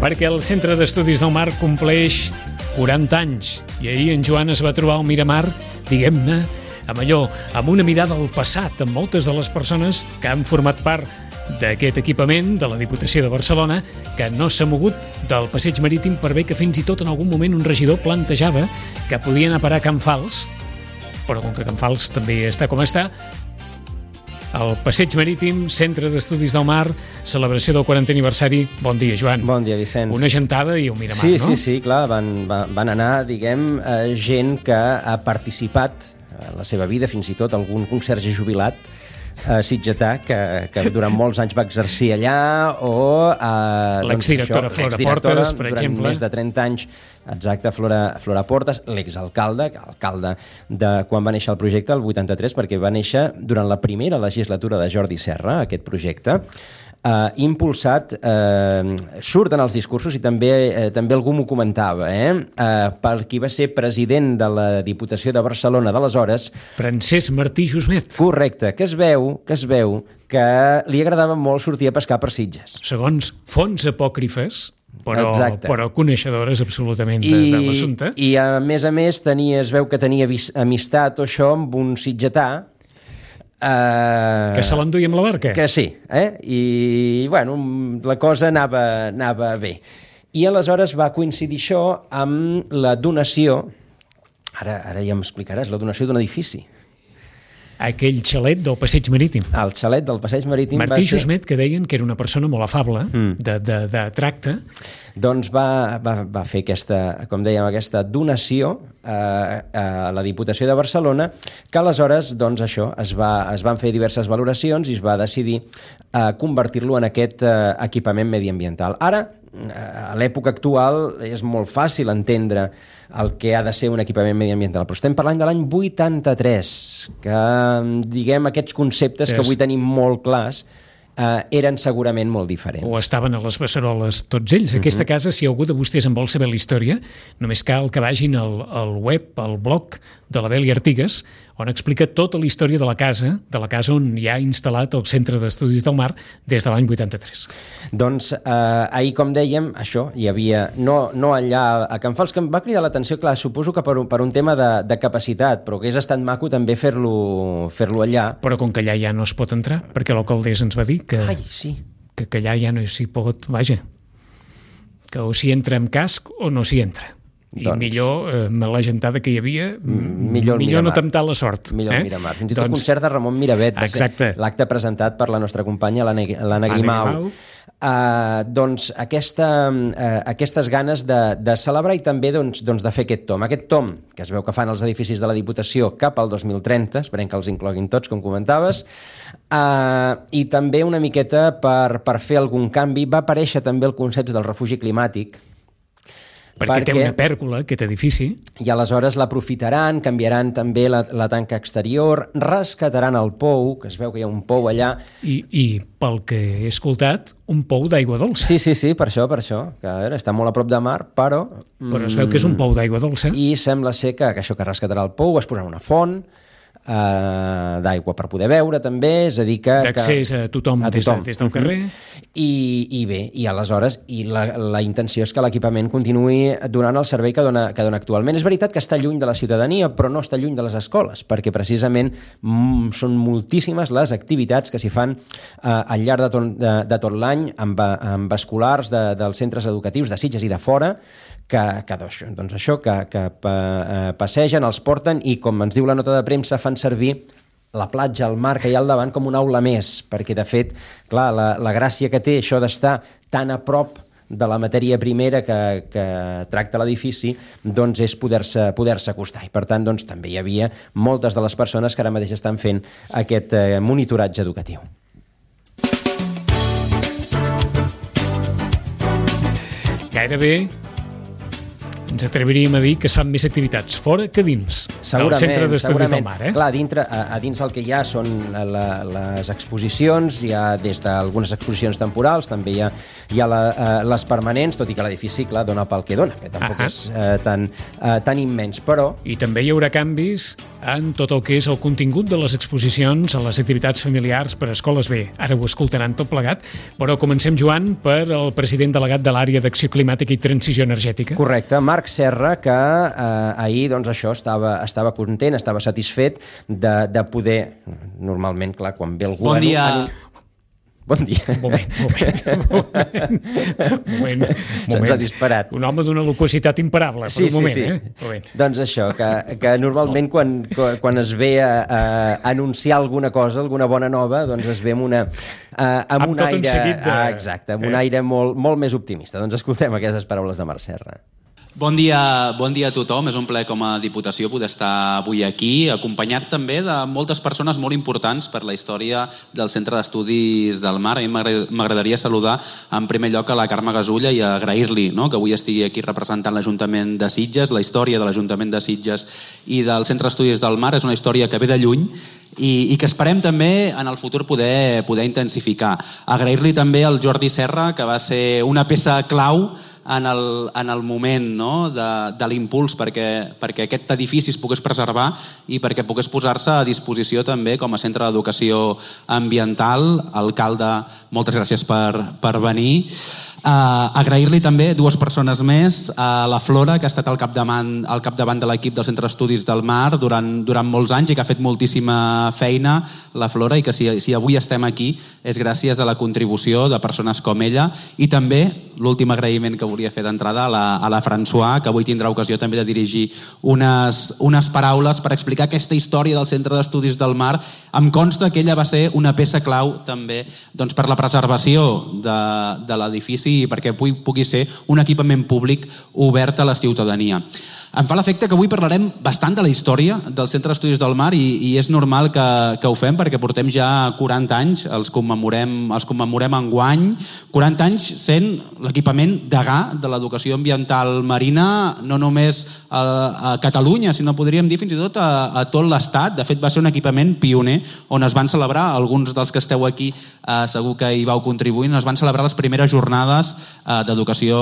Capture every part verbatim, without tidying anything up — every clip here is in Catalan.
perquè el Centre d'Estudis del Mar compleix quaranta anys i ahir en Joan es va trobar al Miramar, diguem-ne, amb allò, amb una mirada al passat, amb moltes de les persones que han format part d'aquest equipament de la Diputació de Barcelona, que no s'ha mogut del passeig marítim per bé que fins i tot en algun moment un regidor plantejava que podien anar a parar a Can Fals, però com que Can Fals també està com està, el passeig marítim, Centre d'Estudis del Mar, celebració del quarantè aniversari. Bon dia, Joan. Bon dia, Vicenç. Una gentada i un Miramar, sí, no? Sí, sí, clar, van, van anar, diguem, eh, gent que ha participat en la seva vida, fins i tot algun conserge jubilat a Sitgetà, que, que durant molts anys va exercir allà, o eh, l'exdirectora doncs, Flora Portes, per durant exemple. Més de trenta anys, exacte, Flora, Flora Portes, l'exalcalde, alcalde de quan va néixer el projecte, el vuitanta-tres, perquè va néixer durant la primera legislatura de Jordi Serra, aquest projecte, Uh, impulsat, uh, surten els discursos i també uh, també algú m'ho comentava, eh? Uh, per qui va ser president de la Diputació de Barcelona d'aleshores, Francesc Martí Jusmet. Correcte, que es veu que es veu que li agradava molt sortir a pescar per Sitges. Segons fonts apòcrifes, però, però coneixedores absolutament de, I, de l'assumpte. I a més a més tenia, es veu que tenia vis, amistat o això amb un sitgetà, Uh, que se l'enduia amb la barca. Que sí, eh? I, bueno, la cosa anava, anava bé. I aleshores va coincidir això amb la donació, ara, ara ja m'explicaràs, la donació d'un edifici. Aquell xalet del passeig marítim. El xalet del passeig marítim Martí va ser... Jusmet, que deien que era una persona molt afable, mm. de, de, de tracte. Doncs va, va, va fer aquesta, com dèiem, aquesta donació a, a la Diputació de Barcelona, que aleshores, doncs això, es, va, es van fer diverses valoracions i es va decidir a convertir-lo en aquest uh, equipament mediambiental. Ara, a l'època actual, és molt fàcil entendre el que ha de ser un equipament mediambiental, però estem parlant de l'any vuitanta-tres, que, diguem, aquests conceptes que avui tenim molt clars Uh, eren segurament molt diferents. O estaven a les beceroles tots ells. Aquesta uh-huh. casa, si algú de vostès en vol saber la història, només cal que vagin al, al web, al blog de la Dèlia Artigas, on explica tota la història de la casa, de la casa on hi ha instal·lat el Centre d'Estudis del Mar des de l'any vuitanta-tres. Doncs eh, ahir, com dèiem, això, hi havia, no, no allà a Can Fals, que em va cridar l'atenció, clar, suposo que per un, per un tema de, de capacitat, però que hagués estat maco també fer-lo fer-lo allà. Però com que allà ja no es pot entrar, perquè l'alcaldessa ens va dir que, Ai, sí. que, que allà ja no s'hi pot, vaja, que o s'hi entra amb casc o no s'hi entra. I doncs, millor, eh, amb la gentada que hi havia, millor, millor no temptar la sort. Millor eh? el Miramar. Fins i tot doncs, concert de Ramon Miravet, l'acte presentat per la nostra companya, l'Anna Grimau. Uh, doncs aquesta, uh, aquestes ganes de, de celebrar i també doncs, doncs de fer aquest tom. Aquest tom que es veu que fan els edificis de la Diputació cap al dos mil trenta, esperem que els incloguin tots, com comentaves, uh, i també una miqueta per, per fer algun canvi. Va aparèixer també el concepte del refugi climàtic, perquè, perquè té una pèrgola, aquest edifici. I aleshores l'aprofitaran, canviaran també la, la tanca exterior, rescataran el pou, que es veu que hi ha un pou allà. I, i pel que he escoltat, un pou d'aigua dolça. Sí, sí, sí, per això, per això. Que a veure, està molt a prop de mar, però... Però es veu que és un pou d'aigua dolça. I sembla ser que, que això que rescatarà el pou es posarà una font, Uh, d'aigua per poder beure també, és a dir que... D'accés a tothom, a tothom. Des, de, des del carrer. I, i bé, i aleshores i la, la intenció és que l'equipament continuï donant el servei que dona, que dona actualment. És veritat que està lluny de la ciutadania, però no està lluny de les escoles, perquè precisament mm, són moltíssimes les activitats que s'hi fan uh, al llarg de tot, de, de tot l'any amb, amb escolars de, dels centres educatius de Sitges i de fora, que, que doncs això, que, que passegen, els porten i, com ens diu la nota de premsa, fan servir la platja, el mar que hi ha al davant com una aula més, perquè de fet, clar, la, la gràcia que té això d'estar tan a prop de la matèria primera que, que tracta l'edifici, doncs és poder-se poder-se acostar. I per tant, doncs, també hi havia moltes de les persones que ara mateix estan fent aquest eh, monitoratge educatiu. Gairebé ens atreviríem a dir que es fan més activitats fora que dins del Centre d'Estudis del Mar. Eh? Clar, a, dintre, a, a dins el que hi ha són la, les exposicions, hi ha des d'algunes exposicions temporals, també hi ha, hi ha la, uh, les permanents, tot i que l'edifici, clar, dona pel que dona, que tampoc uh -huh. és uh, tan, uh, tan immens, però... I també hi haurà canvis en tot el que és el contingut de les exposicions, a les activitats familiars per a escoles. Bé, ara ho escoltaran tot plegat, però comencem, Joan, per el president delegat de l'àrea d'Acció Climàtica i Transició Energètica. Correcte, Marc Serra, que eh, ahir, doncs això, estava, estava content, estava satisfet de, de poder, normalment, clar, quan ve algú... Bon dia... En... Bon dia. Un moment, un moment, un moment. Un moment, Se'ns ha disparat. Un home d'una loquacitat imparable, sí, per un moment. Sí, sí. Eh? Un moment. Doncs això, que, que normalment quan, quan es ve a, a anunciar alguna cosa, alguna bona nova, doncs es ve amb, una, a, amb, amb un tot aire... un seguit de... Ah, exacte, amb eh? un aire molt, molt més optimista. Doncs escoltem aquestes paraules de Marc Serra. Bon dia, bon dia a tothom. És un plaer com a Diputació poder estar avui aquí, acompanyat també de moltes persones molt importants per la història del Centre d'Estudis del Mar. A mi m'agradaria saludar en primer lloc a la Carme Gasulla i agrair-li, no?, que avui estigui aquí representant l'Ajuntament de Sitges. La història de l'Ajuntament de Sitges i del Centre d'Estudis del Mar és una història que ve de lluny i, i que esperem també en el futur poder, poder intensificar. Agrair-li també al Jordi Serra, que va ser una peça clau en el, en el moment, no?, de, de l'impuls perquè, perquè aquest edifici es pogués preservar i perquè pogués posar-se a disposició també com a centre d'educació ambiental. Alcalde, moltes gràcies per, per venir. Uh, agrair-li també dues persones més, a uh, la Flora, que ha estat al capdavant, al capdavant de l'equip del Centre d'Estudis del Mar durant, durant molts anys i que ha fet moltíssima feina, la Flora, i que si, si avui estem aquí és gràcies a la contribució de persones com ella. I també l'últim agraïment que volia fer d'entrada a la, a la François, que avui tindrà ocasió també de dirigir unes, unes paraules per explicar aquesta història del Centre d'Estudis del Mar. Em consta que ella va ser una peça clau també, doncs, per la preservació de, de l'edifici i perquè pugui, pugui ser un equipament públic obert a la ciutadania. Em fa l'efecte que avui parlarem bastant de la història del Centre d'Estudis del Mar i, i és normal que, que ho fem perquè portem ja quaranta anys, els commemorem, els commemorem enguany, quaranta anys sent l'equipament degà de l'educació ambiental marina, no només a, a Catalunya, sinó podríem dir fins i tot a, a tot l'Estat. De fet, va ser un equipament pioner on es van celebrar, alguns dels que esteu aquí eh, segur que hi vau contribuir, es van celebrar les primeres jornades eh, d'educació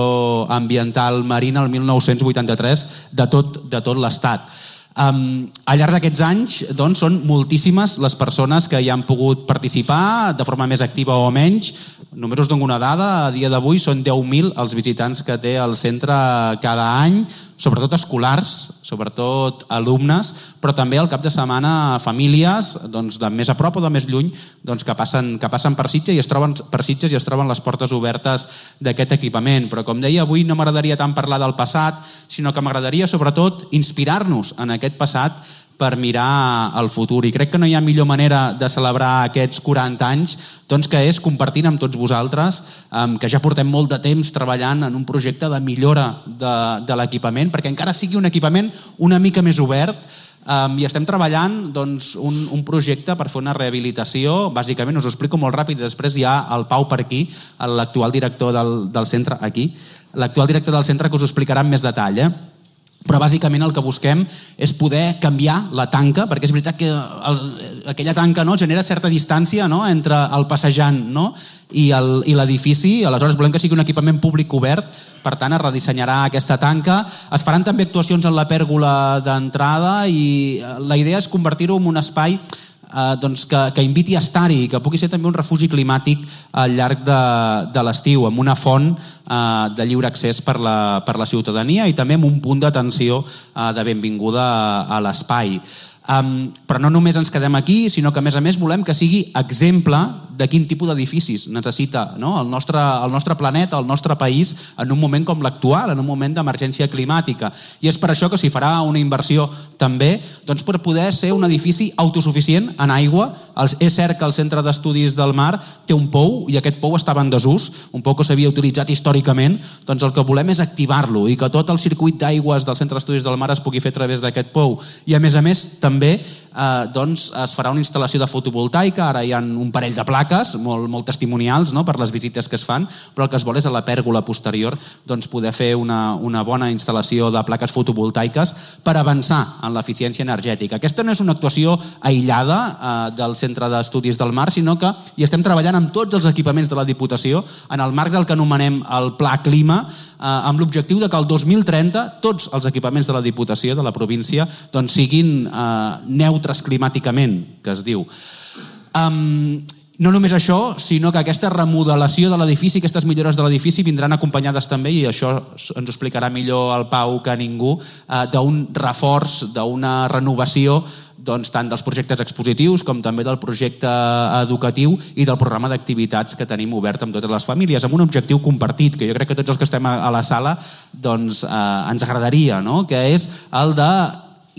ambiental marina el mil nou-cents vuitanta-tres de tot, de tot l'Estat. Um, al llarg d'aquests anys, doncs, són moltíssimes les persones que hi han pogut participar de forma més activa o menys. Només us dono una dada, a dia d'avui són deu mil els visitants que té el centre cada any, sobretot escolars, sobretot alumnes, però també al cap de setmana famílies, doncs, de més a prop o de més lluny, doncs, que, passen, que passen per Sitges i es troben per Sitges i es troben les portes obertes d'aquest equipament. Però com deia, avui no m'agradaria tant parlar del passat, sinó que m'agradaria sobretot inspirar-nos en aquest passat per mirar al futur. I crec que no hi ha millor manera de celebrar aquests quaranta anys doncs, que és compartint amb tots vosaltres, um, que ja portem molt de temps treballant en un projecte de millora de, de l'equipament, perquè encara sigui un equipament una mica més obert, um, i estem treballant doncs, un, un projecte per fer una rehabilitació. Bàsicament, us ho explico molt ràpid, després hi ha el Pau per aquí, l'actual director del, del centre, aquí, l'actual director del centre que us ho explicarà amb més detall, eh? Però bàsicament el que busquem és poder canviar la tanca, perquè és veritat que el, aquella tanca, no, genera certa distància, no, entre el passejant, no, i l'edifici. Aleshores volem que sigui un equipament públic obert, per tant es redissenyarà aquesta tanca. Es faran també actuacions en la pèrgola d'entrada i la idea és convertir-ho en un espai Eh, doncs que, que inviti a estar-hi, que pugui ser també un refugi climàtic al llarg de, de l'estiu, amb una font eh, de lliure accés per la, per la ciutadania i també amb un punt d'atenció eh, de benvinguda a, a l'espai. Um, però no només ens quedem aquí, sinó que a més a més volem que sigui exemple de quin tipus d'edificis necessita, no, el, nostre, el nostre planeta, el nostre país en un moment com l'actual, en un moment d'emergència climàtica. I és per això que s'hi farà una inversió també doncs, per poder ser un edifici autosuficient en aigua. És cert que el Centre d'Estudis del Mar té un pou i aquest pou estava en desús, un pou que s'havia utilitzat històricament. Doncs el que volem és activar-lo i que tot el circuit d'aigües del Centre d'Estudis del Mar es pugui fer a través d'aquest pou. I a més a més també eh, doncs es farà una instal·lació de fotovoltaica, ara hi ha un parell de plaques, molt, molt testimonials, no?, per les visites que es fan, però el que es vol és a la pèrgola posterior doncs, poder fer una, una bona instal·lació de plaques fotovoltaiques per avançar en l'eficiència energètica. Aquesta no és una actuació aïllada eh, del Centre d'Estudis del Mar, sinó que hi estem treballant amb tots els equipaments de la Diputació en el marc del que anomenem el Pla Clima, eh, amb l'objectiu de que el dos mil trenta tots els equipaments de la Diputació, de la província, doncs, siguin eh, neutres climàticament, que es diu. Um, No només això, sinó que aquesta remodelació de l'edifici, aquestes millores de l'edifici vindran acompanyades també, i això ens ho explicarà millor el Pau que ningú, eh, d'un reforç, d'una renovació doncs, tant dels projectes expositius com també del projecte educatiu i del programa d'activitats que tenim obert amb totes les famílies, amb un objectiu compartit, que jo crec que tots els que estem a la sala doncs, eh, ens agradaria, no?, que és el de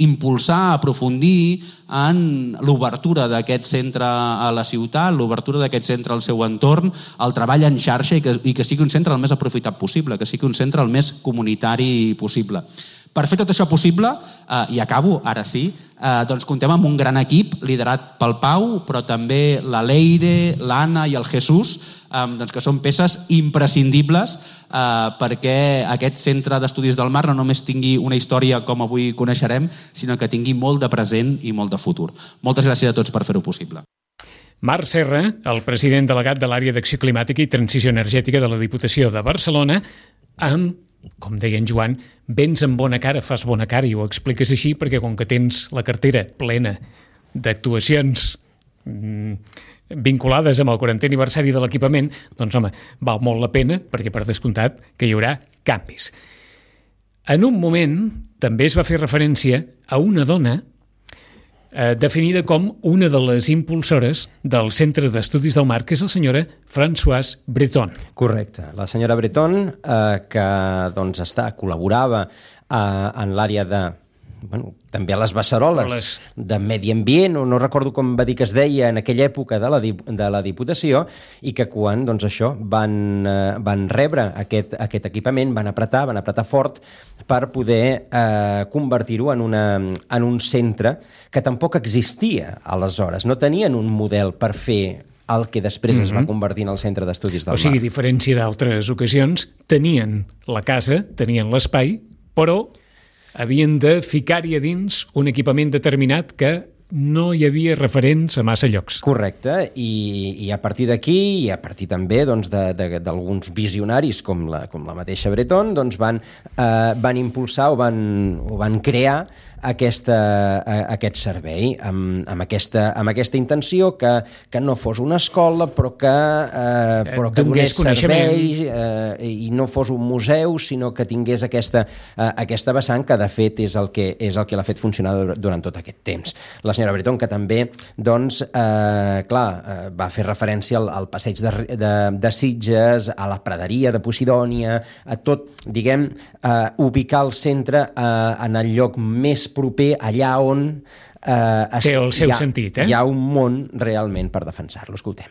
impulsar, aprofundir en l'obertura d'aquest centre a la ciutat, l'obertura d'aquest centre al seu entorn, el treball en xarxa i que, i que sigui un centre el més aprofitat possible, que sigui un centre el més comunitari possible. Per fer tot això possible, eh, i acabo, ara sí, eh, doncs contem amb un gran equip liderat pel Pau, però també la Leire, l'Anna i el Jesús, eh, doncs que són peces imprescindibles eh, perquè aquest centre d'estudis del mar no només tingui una història com avui coneixerem, sinó que tingui molt de present i molt de futur. Moltes gràcies a tots per fer-ho possible. Marc Serra, el president delegat de l'Àrea d'Acció Climàtica i Transició Energètica de la Diputació de Barcelona, amb, com deia en Joan, vens amb bona cara, fas bona cara, i ho expliques així perquè com que tens la cartera plena d'actuacions mmm, vinculades amb el quarantè aniversari de l'equipament, doncs home, val molt la pena perquè per descomptat que hi haurà canvis. En un moment també es va fer referència a una dona eh, definida com una de les impulsores del Centre d'Estudis del Mar, que és la senyora Françoise Breton. Correcte. La senyora Breton, eh, que doncs, està, col·laborava eh, en l'àrea de bueno, també a les beceroles les... de medi ambient, o no recordo com va dir que es deia en aquella època de la, de la Diputació, i que quan doncs, això van, eh, van rebre aquest, aquest equipament, van apretar, van apretar fort per poder eh, convertir-ho en, una, en un centre que tampoc existia aleshores. No tenien un model per fer el que després mm-hmm. es va convertir en el Centre d'Estudis del Mar. O sigui, a diferència d'altres ocasions, tenien la casa, tenien l'espai, però havien de ficar-hi a dins un equipament determinat que no hi havia referents a massa llocs. Correcte, i, i a partir d'aquí, i a partir també doncs, d'alguns visionaris com la, com la mateixa Breton, doncs van, eh, van impulsar o van, o van crear aquesta, aquest servei amb, amb, aquesta, amb aquesta intenció que, que no fos una escola però que, eh, però que donés servei eh, i no fos un museu, sinó que tingués aquesta, eh, aquesta vessant que de fet és el que, és el que l'ha fet funcionar durant tot aquest temps. La senyora Breton, que també doncs, eh, clar, eh, va fer referència al, al passeig de, de, de Sitges, a la praderia de Posidònia, a tot, diguem, eh, ubicar el centre eh, en el lloc més proper, allà on eh, té el seu hi ha, sentit, eh? hi ha un món realment per defensar-lo. Escoltem.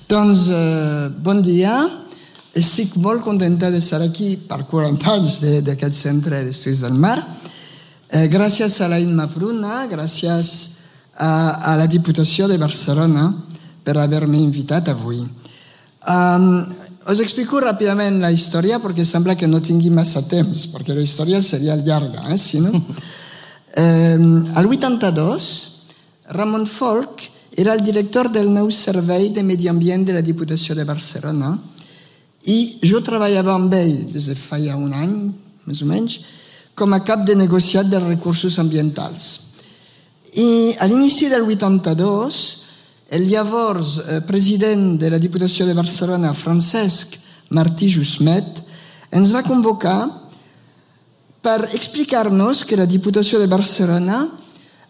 Doncs, eh, bon dia. Estic molt contenta d'estar aquí per quaranta anys d'aquest Centre d'Estudis del Mar. Eh, gràcies a la Imma Pruna, gràcies a, a la Diputació de Barcelona per haver-me invitat avui. Um, us explico ràpidament la història perquè sembla que no tingui massa temps, perquè la història seria llarga, eh, si no? Um, al vuitanta-dos, Ramon Folch era el director del nou Servei de Medi Ambient de la Diputació de Barcelona i jo treballava amb ell des de fa ja un any, més o menys, com a cap de negociat de recursos ambientals. I a l'inici del vuitanta-dos, el llavors eh, president de la Diputació de Barcelona, Francesc Martí Jusmet, ens va convocar per explicar-nos que la Diputació de Barcelona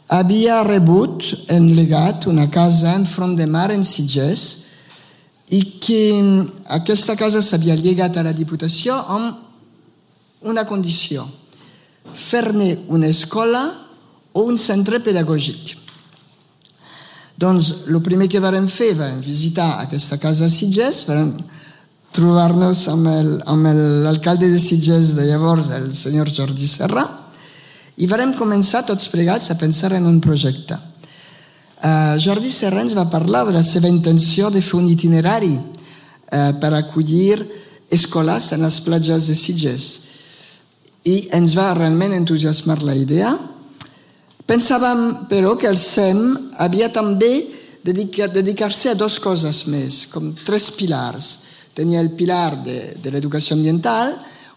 havia rebut en legat una casa en front de mar en Sitges i que aquesta casa s'havia llegat a la Diputació amb una condició: fer-ne una escola o un centre pedagògic. Doncs el primer que vam fer vam visitar aquesta casa a Sitges, vam trobar-nos amb l'alcalde de Sitges de llavors, el senyor Jordi Serra, i vam començar tots plegats a pensar en un projecte. Uh, Jordi Serra ens va parlar de la seva intenció de fer un itinerari uh, per acollir escoles en les platges de Sitges. I ens va realment entusiasmar la idea. Pensàvem, però, que el S E M havia també de dedicar, dedicar-se a dues coses més, com tres pilars. Tenia el pilar de, de l'educació ambiental,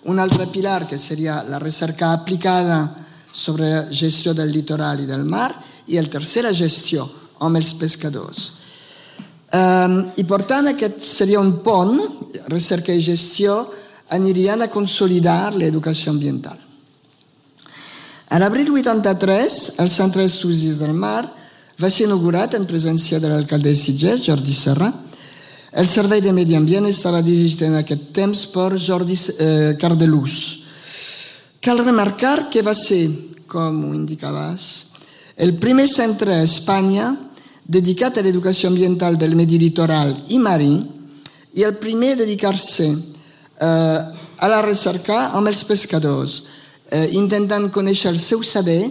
un altre pilar que seria la recerca aplicada sobre la gestió del litoral i del mar, i el tercer, la gestió amb els pescadors. Um, I per tant, aquest seria un pont, recerca i gestió, anirien a consolidar l'educació ambiental. A l'abril vuitanta-tres, el Centre d'Estudis del Mar va ser inaugurat en presència de l'alcalde de Sitges, Jordi Serra. El Servei de Medi Ambient estava dirigit en aquest temps per Jordi eh, Cardelús. Cal remarcar que va ser, com ho indicaves, el primer centre a Espanya dedicat a l'educació ambiental del medi litoral i marí i el primer a dedicar-se eh, a la recerca amb els pescadors, eh, intentant conèixer el seu saber,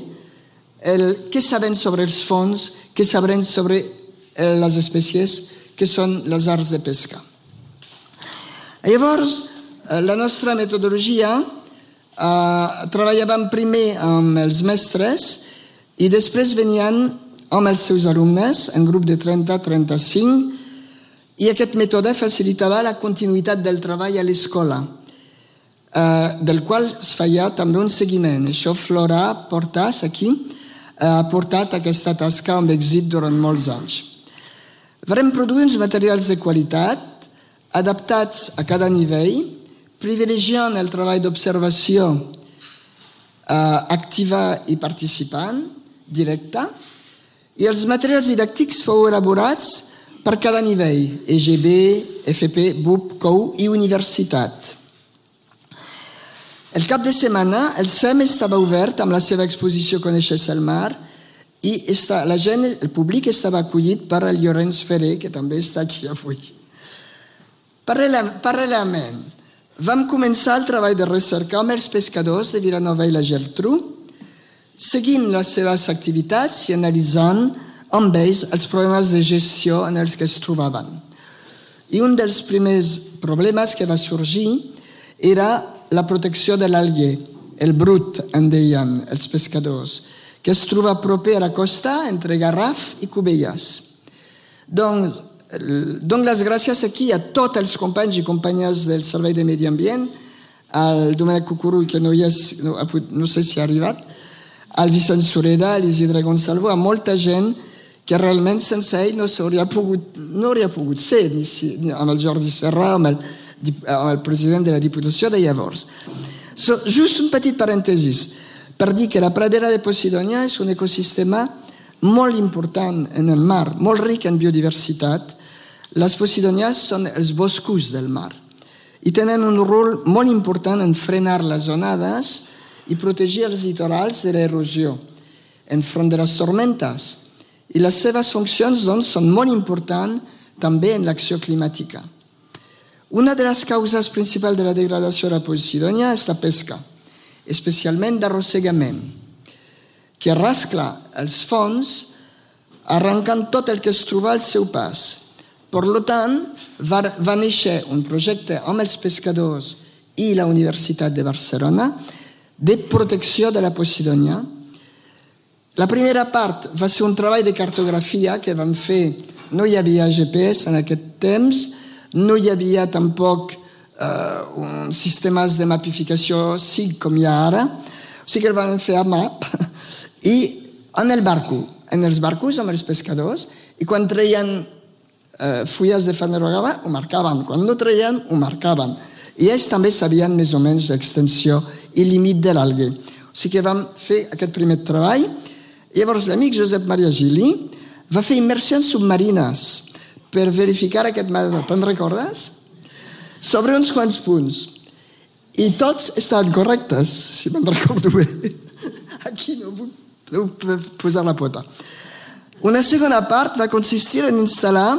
el, què saben sobre els fons, què saben sobre eh, les espècies que són les arts de pesca. Llavors, eh, la nostra metodologia eh, treballàvem primer amb els mestres i després venien amb els seus alumnes, en grup de trenta a trenta-cinc, i aquest mètode facilitava la continuïtat del treball a l'escola, eh, del qual es feia també un seguiment. Això Flora Portas, aquí, ha portat aquesta tasca amb èxit durant molts anys. Vam produir uns materials de qualitat, adaptats a cada nivell, privilegiant el treball d'observació eh, activa i participant, directa, i els materials didàctics fou elaborats per cada nivell, E G B, F P, B U P, C O U i universitat. El cap de setmana, el S E M estava obert amb la seva exposició Coneixes el mar i esta, la gent, el públic estava acollit per el Llorenç Ferrer, que també està aquí avui. Paral·lelament, vam començar el treball de recerca amb els pescadors de Vilanova i la Geltrú, seguint les seves activitats i analitzant amb ells els problemes de gestió en els que es trobaven. I un dels primers problemes que va sorgir era la protecció de l'alguer, el brut, en deien els pescadors, que es troba proper a la costa entre Garraf i Cubelles. Doncs, dono les gràcies aquí a tots els companys i companyes del Servei de Medi Ambient, al Domènec Cucurull, que no, hi és, no, no sé si ha arribat, al Vicent Sureda, a l'Isidre Gonçalvo, a molta gent que realment sense ell no s'hauria pogut, no hauria pogut ser, ni, si, ni amb el Jordi Serra, amb el, amb el president de la Diputació de llavors. So, just un petit parèntesis per dir que la pradera de Posidonia és un ecosistema molt important en el mar, molt ric en biodiversitat. Les Posidonias són els boscos del mar i tenen un rol molt important en frenar les onades i protegir els litorals de l'erosió enfront de les tormentes. I les seves funcions, doncs, són molt importants també en l'acció climàtica. Una de les causes principals de la degradació de la Posidonia és la pesca, especialment d'arrossegament, que rascla els fons arrencant tot el que es troba al seu pas. Per tant, va, va néixer un projecte amb els pescadors i la Universitat de Barcelona de protecció de la Posidonia. La primera part va ser un treball de cartografia que vam fer. No hi havia G P S en aquest temps, no hi havia tampoc eh, un sistemes de mapificació S I G com hi ha ara, o sigui que el vam fer a map i en el barco, en els barcos amb els pescadors, i quan treien eh, fulles de fanerogava ho marcaven, quan no treien ho marcaven. I ells també sabien més o menys l'extensió i límit de l'alguer. O sigui que vam fer aquest primer treball. Llavors l'amic Josep Maria Gili va fer immersions submarines per verificar aquest mètode. Te'n recordes? Sobre uns quants punts. I tots estaven correctes, si me'n recordo bé. Aquí no puc, no puc posar la pota. Una segona part va consistir en instal·lar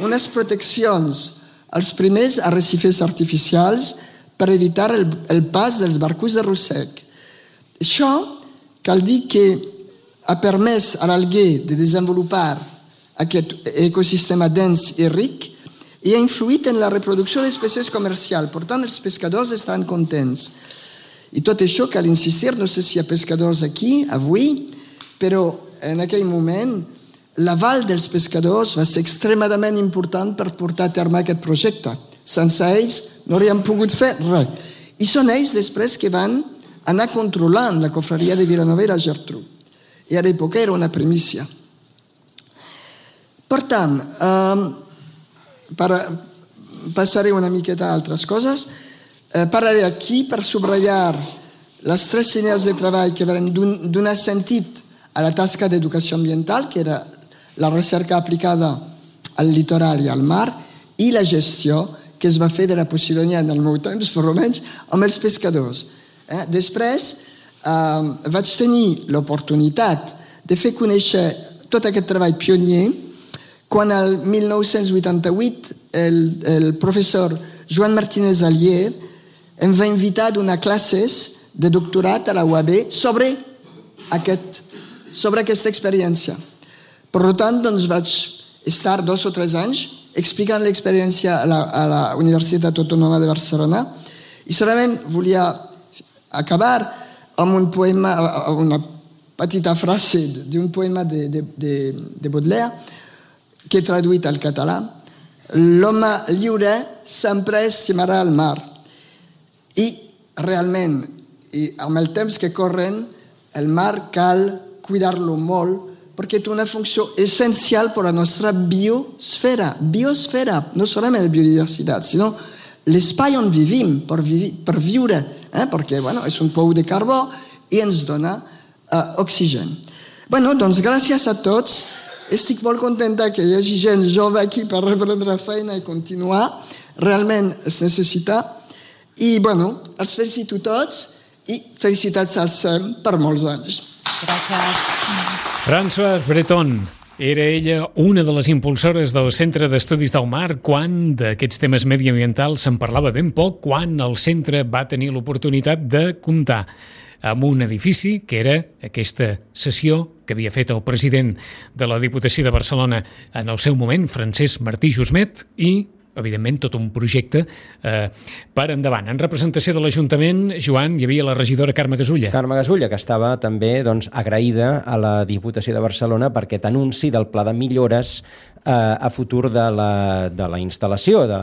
unes proteccions als primers arrecifes artificials per evitar el, el pas dels barcos de rossec. Això cal dir que ha permès a l'alguer de desenvolupar aquest ecosistema dens i ric i ha influït en la reproducció d'espècies comercials. Per tant, els pescadors estan contents. I tot això cal insistir, no sé si hi ha pescadors aquí avui, però en aquell moment l'aval dels pescadors va ser extremadament important per portar a terme aquest projecte. Sense ells no hauríem pogut fer res. I són ells després que van anar controlant la cofreria de Vilanova i la Geltrú. I a l'època era una primícia. Per tant, eh, per, passaré una miqueta a altres coses. Eh, parlaré aquí per subratllar les tres línies de treball que van donar sentit a la tasca d'educació ambiental, que era la recerca aplicada al litoral i al mar, i la gestió que es va fer de la Posidònia en el meu temps, per almenys, amb els pescadors. Eh? Després eh, vaig tenir l'oportunitat de fer conèixer tot aquest treball pionier quan el mil nou-cents vuitanta-vuit el, el professor Joan Martínez Alier em va invitar a donar classes de doctorat a la U A B sobre, aquest, sobre aquesta experiència. Per tant, doncs vaig estar dos o tres anys explicant l'experiència a, la, a la Universitat Autònoma de Barcelona i solament volia acabar amb un poema, una petita frase d'un poema de, de, de, de Baudelaire que he traduït al català. L'home lliure sempre estimarà el mar. I realment, i amb el temps que corren, el mar cal cuidar-lo molt perquè té una funció essencial per a la nostra biosfera. Biosfera, no solament la biodiversitat, sinó l'espai on vivim per, vi per viure, eh? perquè bueno, és un pou de carbó i ens dona uh, oxigen. Bueno, doncs gràcies a tots. Estic molt contenta que hi hagi gent jove aquí per reprendre feina i continuar. Realment es necessita. I, bueno, els felicito tots i felicitats al S E M per molts anys. Gràcies. Françoise Breton. Era ella una de les impulsores del Centre d'Estudis del Mar quan d'aquests temes mediambientals se'n parlava ben poc, quan el centre va tenir l'oportunitat de comptar amb un edifici que era aquesta sessió que havia fet el president de la Diputació de Barcelona en el seu moment, Francesc Martí Jusmet, i evidentment tot un projecte eh, per endavant. En representació de l'Ajuntament, Joan, hi havia la regidora Carme Gasulla. Carme Gasulla, que estava també doncs, agraïda a la Diputació de Barcelona per aquest anunci del pla de millores eh, a futur de la, de la instal·lació, de,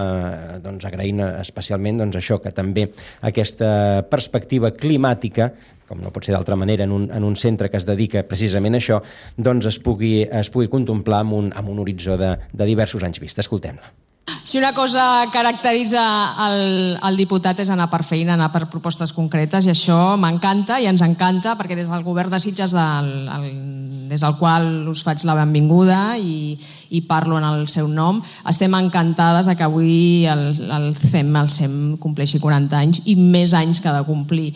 doncs, agraint especialment doncs, això, que també aquesta perspectiva climàtica, com no pot ser d'altra manera en un, en un centre que es dedica precisament a això, doncs es pugui, es pugui contemplar amb un, amb un horitzó de, de diversos anys vista. Escoltem-la. Si una cosa caracteritza el, el diputat és anar per feina, anar per propostes concretes, i això m'encanta i ens encanta, perquè des del govern de Sitges, del, el, des del qual us faig la benvinguda i, i parlo en el seu nom, estem encantades que avui el, el C E M, el C E M compleixi quaranta anys i més anys que ha de complir.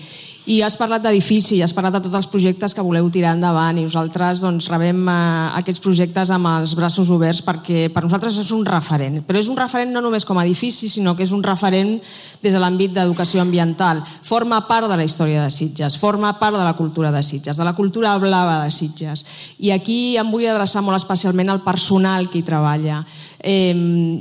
I has parlat d'edifici, has parlat de tots els projectes que voleu tirar endavant i nosaltres doncs, rebem eh, aquests projectes amb els braços oberts perquè per nosaltres és un referent. Però és un referent no només com a edifici, sinó que és un referent des de l'àmbit d'educació ambiental. Forma part de la història de Sitges, forma part de la cultura de Sitges, de la cultura blava de Sitges. I aquí em vull adreçar molt especialment al personal que hi treballa. Eh,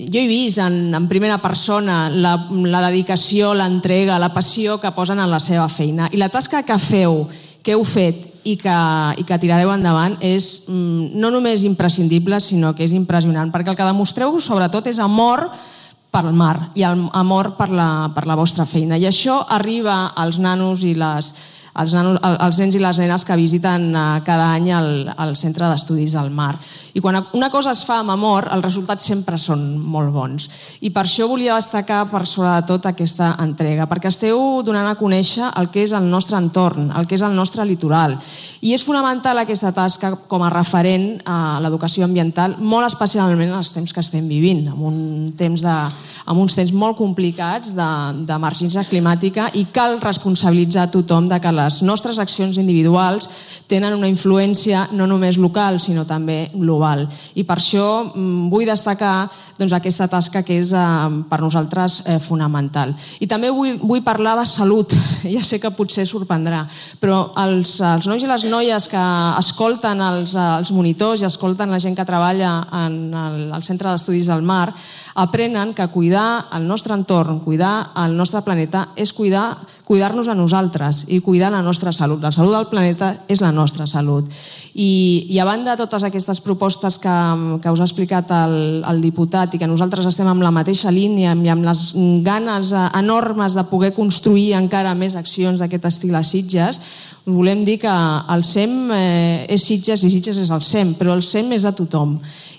jo he vist en, en primera persona la, la dedicació, l'entrega, la passió que posen en la seva feina. I la tasca que feu, que heu fet i que, i que tirareu endavant és mm, no només imprescindible, sinó que és impressionant, perquè el que demostreu sobretot és amor pel mar i amor per la, per la vostra feina. I això arriba als nanos i les Els, nanos, els nens i les nenes que visiten cada any el, el Centre d'Estudis del Mar. I quan una cosa es fa amb amor, els resultats sempre són molt bons. I per això volia destacar per sobre de tot aquesta entrega, perquè esteu donant a conèixer el que és el nostre entorn, el que és el nostre litoral. I és fonamental aquesta tasca com a referent a l'educació ambiental, molt especialment en els temps que estem vivint, amb, un temps de, amb uns temps molt complicats d'emergència climàtica, i cal responsabilitzar a tothom de que les nostres accions individuals tenen una influència no només local, sinó també global. I per això vull destacar doncs, aquesta tasca que és eh, per nosaltres eh, fonamental. I també vull, vull parlar de salut. Ja sé que potser sorprendrà, però els, els nois i les noies que escolten els, els monitors i escolten la gent que treballa en el, el Centre d'Estudis del Mar aprenen que cuidar el nostre entorn, cuidar el nostre planeta és cuidar, cuidar-nos a nosaltres i cuidar la nostra salut. La salut del planeta és la nostra salut. I, i a banda de totes aquestes propostes que, que us ha explicat el, el diputat i que nosaltres estem amb la mateixa línia i amb les ganes enormes de poder construir encara més accions d'aquest estil a Sitges, us volem dir que el S E M eh, és Sitges i Sitges és el S E M, però el S E M és de tothom.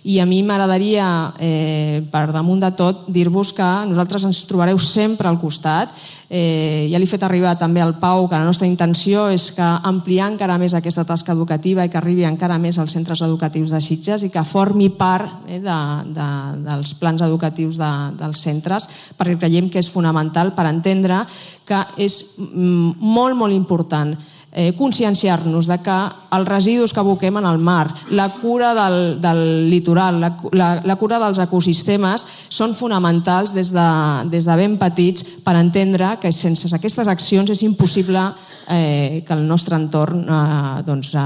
I a mi m'agradaria, eh, per damunt de tot, dir-vos que nosaltres ens trobareu sempre al costat. Eh, ja l'he fet arribar també al Pau que la nostra intenció és que ampliar encara més aquesta tasca educativa i que arribi encara més als centres educatius de Sitges i que formi part eh, de, de, dels plans educatius de, dels centres, perquè creiem que és fonamental per entendre que és molt, molt important Eh, conscienciar-nos de que els residus que aboquem en el mar, la cura del, del litoral, la, la, la cura dels ecosistemes són fonamentals des de, des de ben petits per entendre que sense aquestes accions és impossible eh, que el nostre entorn eh, doncs, eh,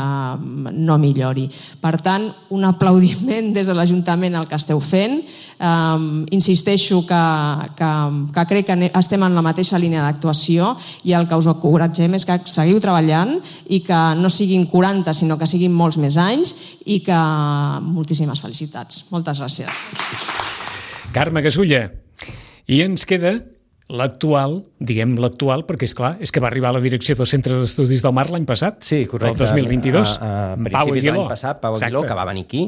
no millori. Per tant, un aplaudiment des de l'Ajuntament al que esteu fent. Eh, insisteixo que, que, que crec que estem en la mateixa línia d'actuació i el que us encoratgem és que seguiu treballant i que no siguin quaranta, sinó que siguin molts més anys i que moltíssimes felicitats. Moltes gràcies. Carme Gasulla. I ens queda l'actual, diguem l'actual, perquè és clar, és que va arribar a la direcció del Centre d'Estudis del Mar l'any passat, sí, correcte, el dos mil vint-i-dos. A, a, a principis de l'any passat, Pau Aguiló, que va venir aquí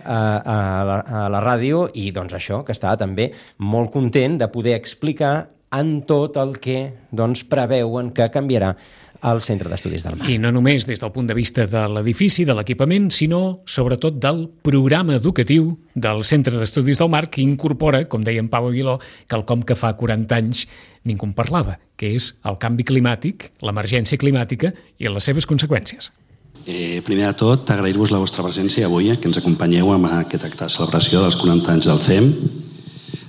a, a, la, a la ràdio i doncs això, que estava també molt content de poder explicar en tot el que doncs, preveuen que canviarà al Centre d'Estudis del Mar. I no només des del punt de vista de l'edifici, de l'equipament, sinó sobretot del programa educatiu del Centre d'Estudis del Mar que incorpora, com deia en Pau Aguiló, quelcom que fa quaranta anys ningú en parlava, que és el canvi climàtic, l'emergència climàtica i les seves conseqüències. Eh, primer de tot, agrair-vos la vostra presència avui, que ens acompanyeu amb aquest acte de celebració dels quaranta anys del C E M.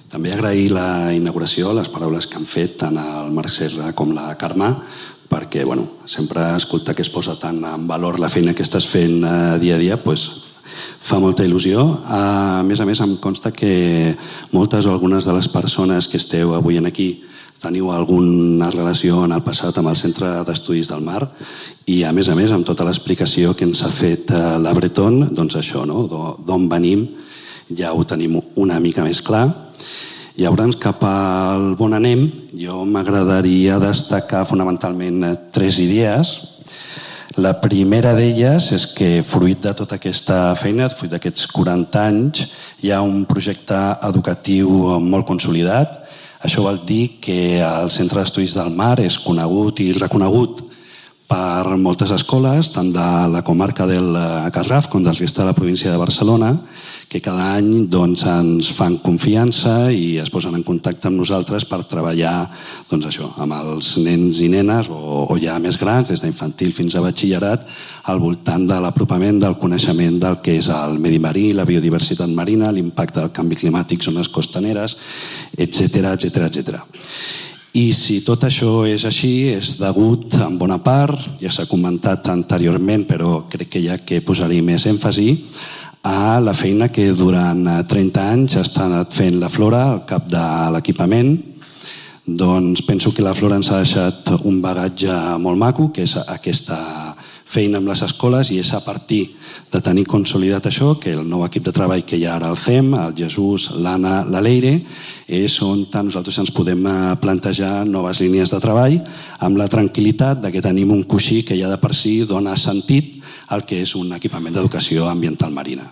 També agrair la inauguració, les paraules que han fet tant el Marc Serra com la Carme, perquè bueno, sempre escoltar que es posa tant en valor la feina que estàs fent eh, dia a dia, pues, fa molta il·lusió. A més a més, em consta que moltes o algunes de les persones que esteu avui aquí teniu alguna relació en el passat amb el Centre d'Estudis del Mar i, a més a més, amb tota l'explicació que ens ha fet eh, la Breton, doncs això, no? D'on venim, ja ho tenim una mica més clar. Llavors, cap al bon anem, jo m'agradaria destacar fonamentalment tres idees. La primera d'elles és que, fruit de tota aquesta feina, fruit d'aquests quaranta anys, hi ha un projecte educatiu molt consolidat. Això vol dir que el Centre d'Estudis del Mar és conegut i reconegut per moltes escoles, tant de la comarca del Garraf com del resta de la província de Barcelona, que cada any doncs, ens fan confiança i es posen en contacte amb nosaltres per treballar doncs, això, amb els nens i nenes o, o ja més grans, des d'infantil fins a batxillerat, al voltant de l'apropament del coneixement del que és el medi marí, la biodiversitat marina, l'impacte del canvi climàtic, zones costaneres, etcètera, etcètera, etcètera. I si tot això és així, és degut en bona part, ja s'ha comentat anteriorment, però crec que ja que posaré més èmfasi, a la feina que durant trenta anys ha estat fent la Flora al cap de l'equipament. Doncs penso que la Flora ens ha deixat un bagatge molt maco, que és aquesta feina amb les escoles, i és a partir de tenir consolidat això que el nou equip de treball que hi ha ara al C E M, el Jesús, l'Anna, la Leire, és on nosaltres ens podem plantejar noves línies de treball amb la tranquil·litat de que tenim un coixí que ja de per si dona sentit al que és un equipament d'educació ambiental marina.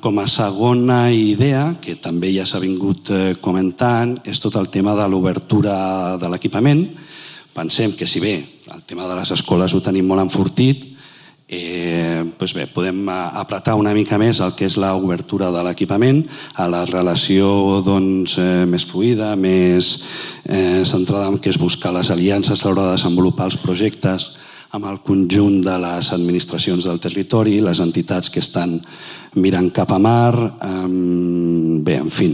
Com a segona idea, que també ja s'ha vingut comentant, és tot el tema de l'obertura de l'equipament. Pensem que si bé el tema de les escoles ho tenim molt enfortit, Eh, doncs bé, podem apretar una mica més el que és l'obertura de l'equipament a la relació doncs, eh, més fluida, més eh, centrada en què és buscar les aliances a l'hora de desenvolupar els projectes amb el conjunt de les administracions del territori, les entitats que estan mirant cap a mar, eh, bé, en fi,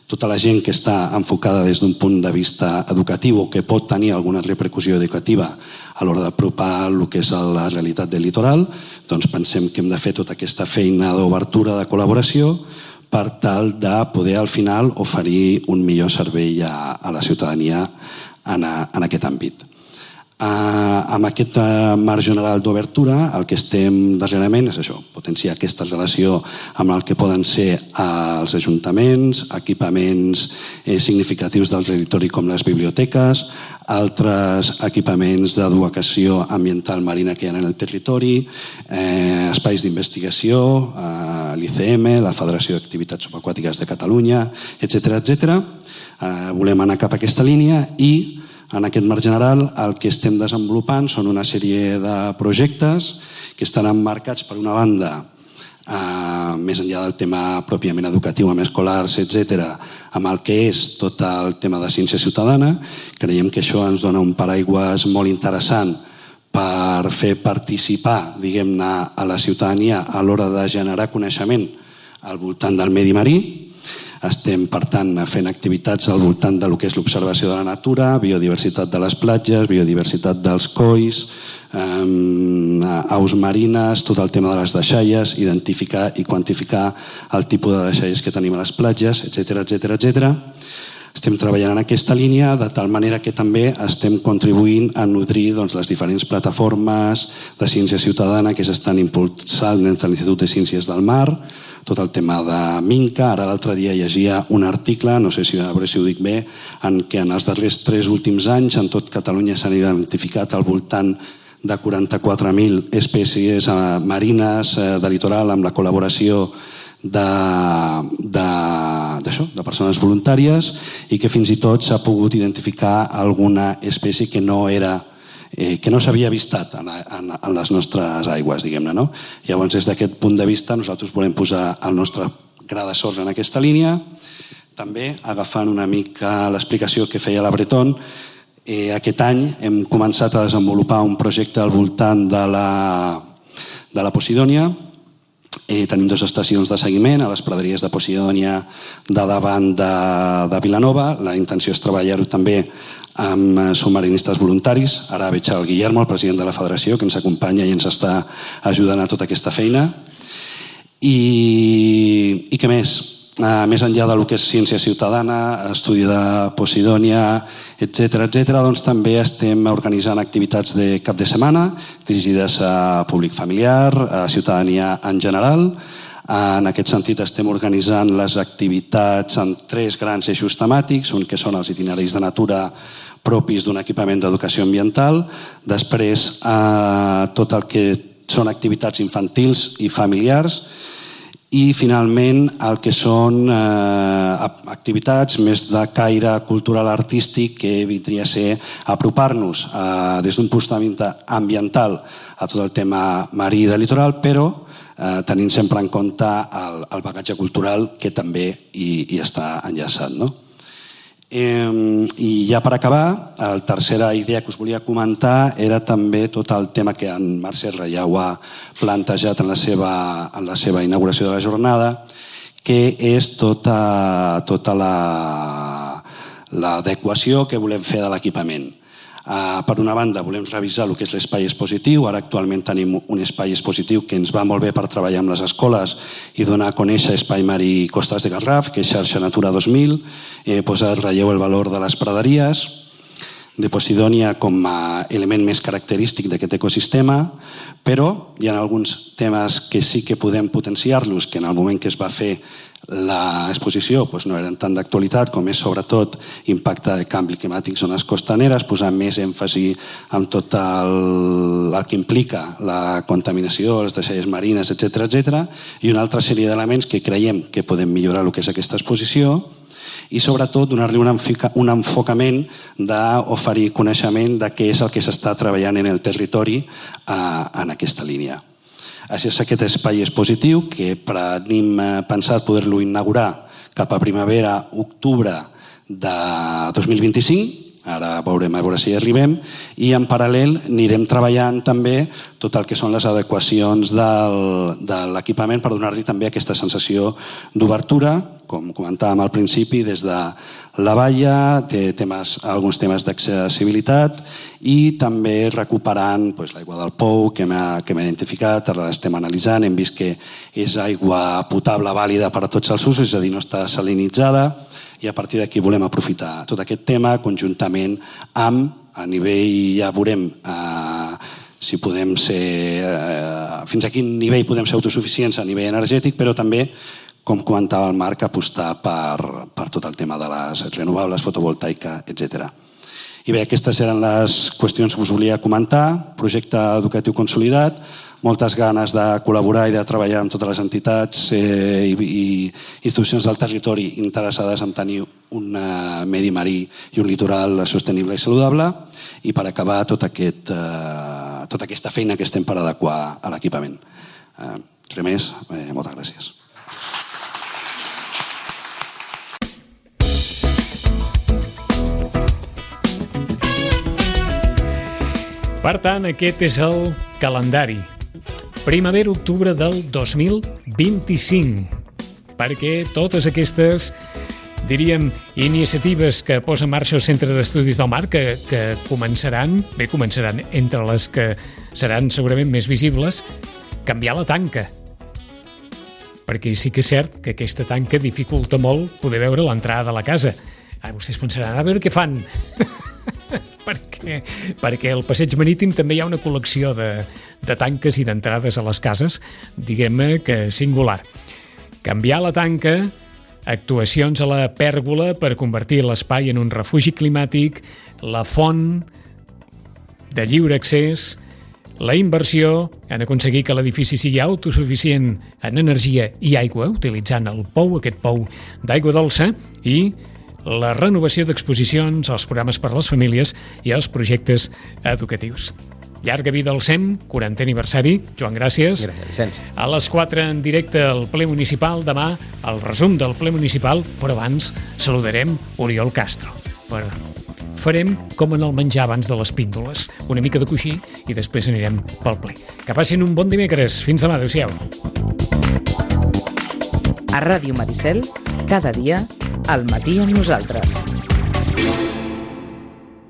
tota la gent que està enfocada des d'un punt de vista educatiu o que pot tenir alguna repercussió educativa a l'hora d'apropar el que és la realitat del litoral, doncs pensem que hem de fer tota aquesta feina d'obertura, de col·laboració, per tal de poder al final oferir un millor servei a, a la ciutadania en, a, en aquest àmbit. Uh, amb aquest uh, marc general d'obertura el que estem darrerament és això, potenciar aquesta relació amb el que poden ser uh, els ajuntaments, equipaments eh, significatius del territori com les biblioteques, altres equipaments d'educació ambiental marina que hi ha en el territori, eh, espais d'investigació, eh, l'I C M, la Federació d'Activitats Subaquàtiques de Catalunya, etcètera, etcètera. Eh, volem anar cap a aquesta línia i en aquest marc general el que estem desenvolupant són una sèrie de projectes que estan emmarcats per una banda eh, més enllà del tema pròpiament educatiu amb escolars, etcètera, amb el que és tot el tema de ciència ciutadana. Creiem que això ens dona un paraigües molt interessant per fer participar, diguem-ne, a la ciutadania a l'hora de generar coneixement al voltant del medi marí. Estem, per tant, fent activitats al voltant del que és l'observació de la natura, biodiversitat de les platges, biodiversitat dels colls, eh, aus marines, tot el tema de les deixalles, identificar i quantificar el tipus de deixalles que tenim a les platges, etcètera, etcètera, etcètera. Estem treballant en aquesta línia de tal manera que també estem contribuint a nodrir doncs, les diferents plataformes de ciència ciutadana que s'estan impulsant des de l'Institut de Ciències del Mar, tot el tema de Minca. Ara l'altre dia llegia un article, no sé si, a veure si ho dic bé, en què en els darrers tres últims anys en tot Catalunya s'han identificat al voltant de quaranta-quatre mil espècies marines de litoral amb la col·laboració de, de, d'això, de persones voluntàries i que fins i tot s'ha pogut identificar alguna espècie que no era Eh, que no s'havia vistat en, en, en les nostres aigües, diguem-ne, no? Llavors, des d'aquest punt de vista, nosaltres volem posar el nostre gra de sorra en aquesta línia. També, agafant una mica l'explicació que feia la Breton, eh, aquest any hem començat a desenvolupar un projecte al voltant de la, de la Posidònia. Eh, tenim dues estacions de seguiment a les praderies de Posidònia de davant de, de Vilanova. La intenció és treballar-ho també amb submarinistes voluntaris. Ara veig el Guillermo, el president de la federació, que ens acompanya i ens està ajudant a tota aquesta feina. I, i què més? Uh, més enllà del que és ciència ciutadana, estudi de Posidònia, etcètera, etcètera, doncs també estem organitzant activitats de cap de setmana dirigides a públic familiar, a ciutadania en general. En aquest sentit estem organitzant les activitats en tres grans eixos temàtics, un que són els itineraris de natura propis d'un equipament d'educació ambiental, després eh, tot el que són activitats infantils i familiars i finalment el que són eh, activitats més de caire cultural artístic que vindria a ser apropar-nos eh, des d'un punt de vista ambiental a tot el tema marí i de litoral, però eh, tenint sempre en compte el, el bagatge cultural que també hi, hi està enllaçat, no? Eh, I ja per acabar, la tercera idea que us volia comentar era també tot el tema que en Marc Serra ja ho ha plantejat en la seva, en la seva inauguració de la jornada, que és tota, tota l'adequació la, que volem fer de l'equipament. Uh, per una banda, volem revisar el que és l'espai expositiu. Ara actualment tenim un espai expositiu que ens va molt bé per treballar amb les escoles i donar a conèixer Espai Marí Costes de Garraf, que és xarxa Natura dos mil, eh, posar en relleu el valor de les praderies, de Posidònia com a element més característic d'aquest ecosistema, però hi ha alguns temes que sí que podem potenciar-los, que en el moment que es va fer l'exposició doncs no eren tant d'actualitat, com és sobretot impacte de canvi climàtic en zones costaneres, posar més èmfasi en tot el, el que implica la contaminació, les deixalles marines, etcètera, etcètera, i una altra sèrie d'elements que creiem que podem millorar el que és aquesta exposició i sobretot donar-li un, un enfocament d'oferir coneixement de què és el que s'està treballant en el territori eh, en aquesta línia. Així és, aquest espai és positiu, que tenim pensat poder-lo inaugurar cap a primavera, octubre de dos mil vint-i-cinc, ara veurem a veure si hi arribem, i en paral·lel anirem treballant també tot el que són les adequacions del, de l'equipament per donar-li també aquesta sensació d'obertura, com comentàvem al principi, des de la valla, té temes, alguns temes d'accessibilitat i també recuperant doncs, l'aigua del pou que hem identificat, ara l'estem analitzant, hem vist que és aigua potable vàlida per a tots els usos, és a dir, no està salinitzada, i a partir d'aquí volem aprofitar tot aquest tema conjuntament amb, a nivell, ja veurem eh, si podem ser, eh, fins a quin nivell podem ser autosuficients a nivell energètic, però també, com comentava el Marc, apostar per, per tot el tema de les renovables, fotovoltaica, etcètera. I bé, aquestes eren les qüestions que us volia comentar, projecte educatiu consolidat, moltes ganes de col·laborar i de treballar amb totes les entitats eh, i, i institucions del territori interessades en tenir un medi marí i un litoral sostenible i saludable, i per acabar tot aquest, eh, tota aquesta feina que estem per adequar a l'equipament. Eh, res més, eh, moltes gràcies. Per tant, aquest és el calendari. Primavera-octubre del dos mil vint-i-cinc, perquè totes aquestes, diríem, iniciatives que posa en marxa el Centre d'Estudis del Mar, que, que començaran, bé, començaran entre les que seran segurament més visibles, canviar la tanca. Perquè sí que és cert que aquesta tanca dificulta molt poder veure l'entrada de la casa. Ara vostès pensaran, a veure què fan. perquè, perquè al passeig marítim també hi ha una col·lecció de, de tanques i d'entrades a les cases, diguem-ne que singular. Canviar la tanca, actuacions a la pèrgola per convertir l'espai en un refugi climàtic, la font de lliure accés, la inversió en aconseguir que l'edifici sigui autosuficient en energia i aigua, utilitzant el pou, aquest pou d'aigua dolça, i la renovació d'exposicions, els programes per a les famílies i els projectes educatius. Llarga vida al C E M, quarantè aniversari. Joan, gràcies. Gràcies, Vicenç. A les quatre en directe al ple municipal, demà el resum del ple municipal, però abans saludarem Oriol Castro. Però farem com en el menjar abans de les píndoles, una mica de coixí i després anirem pel ple. Que passin un bon dimecres. Fins demà, adéu-siau. A Ràdio Maricel, cada dia, al matí amb nosaltres.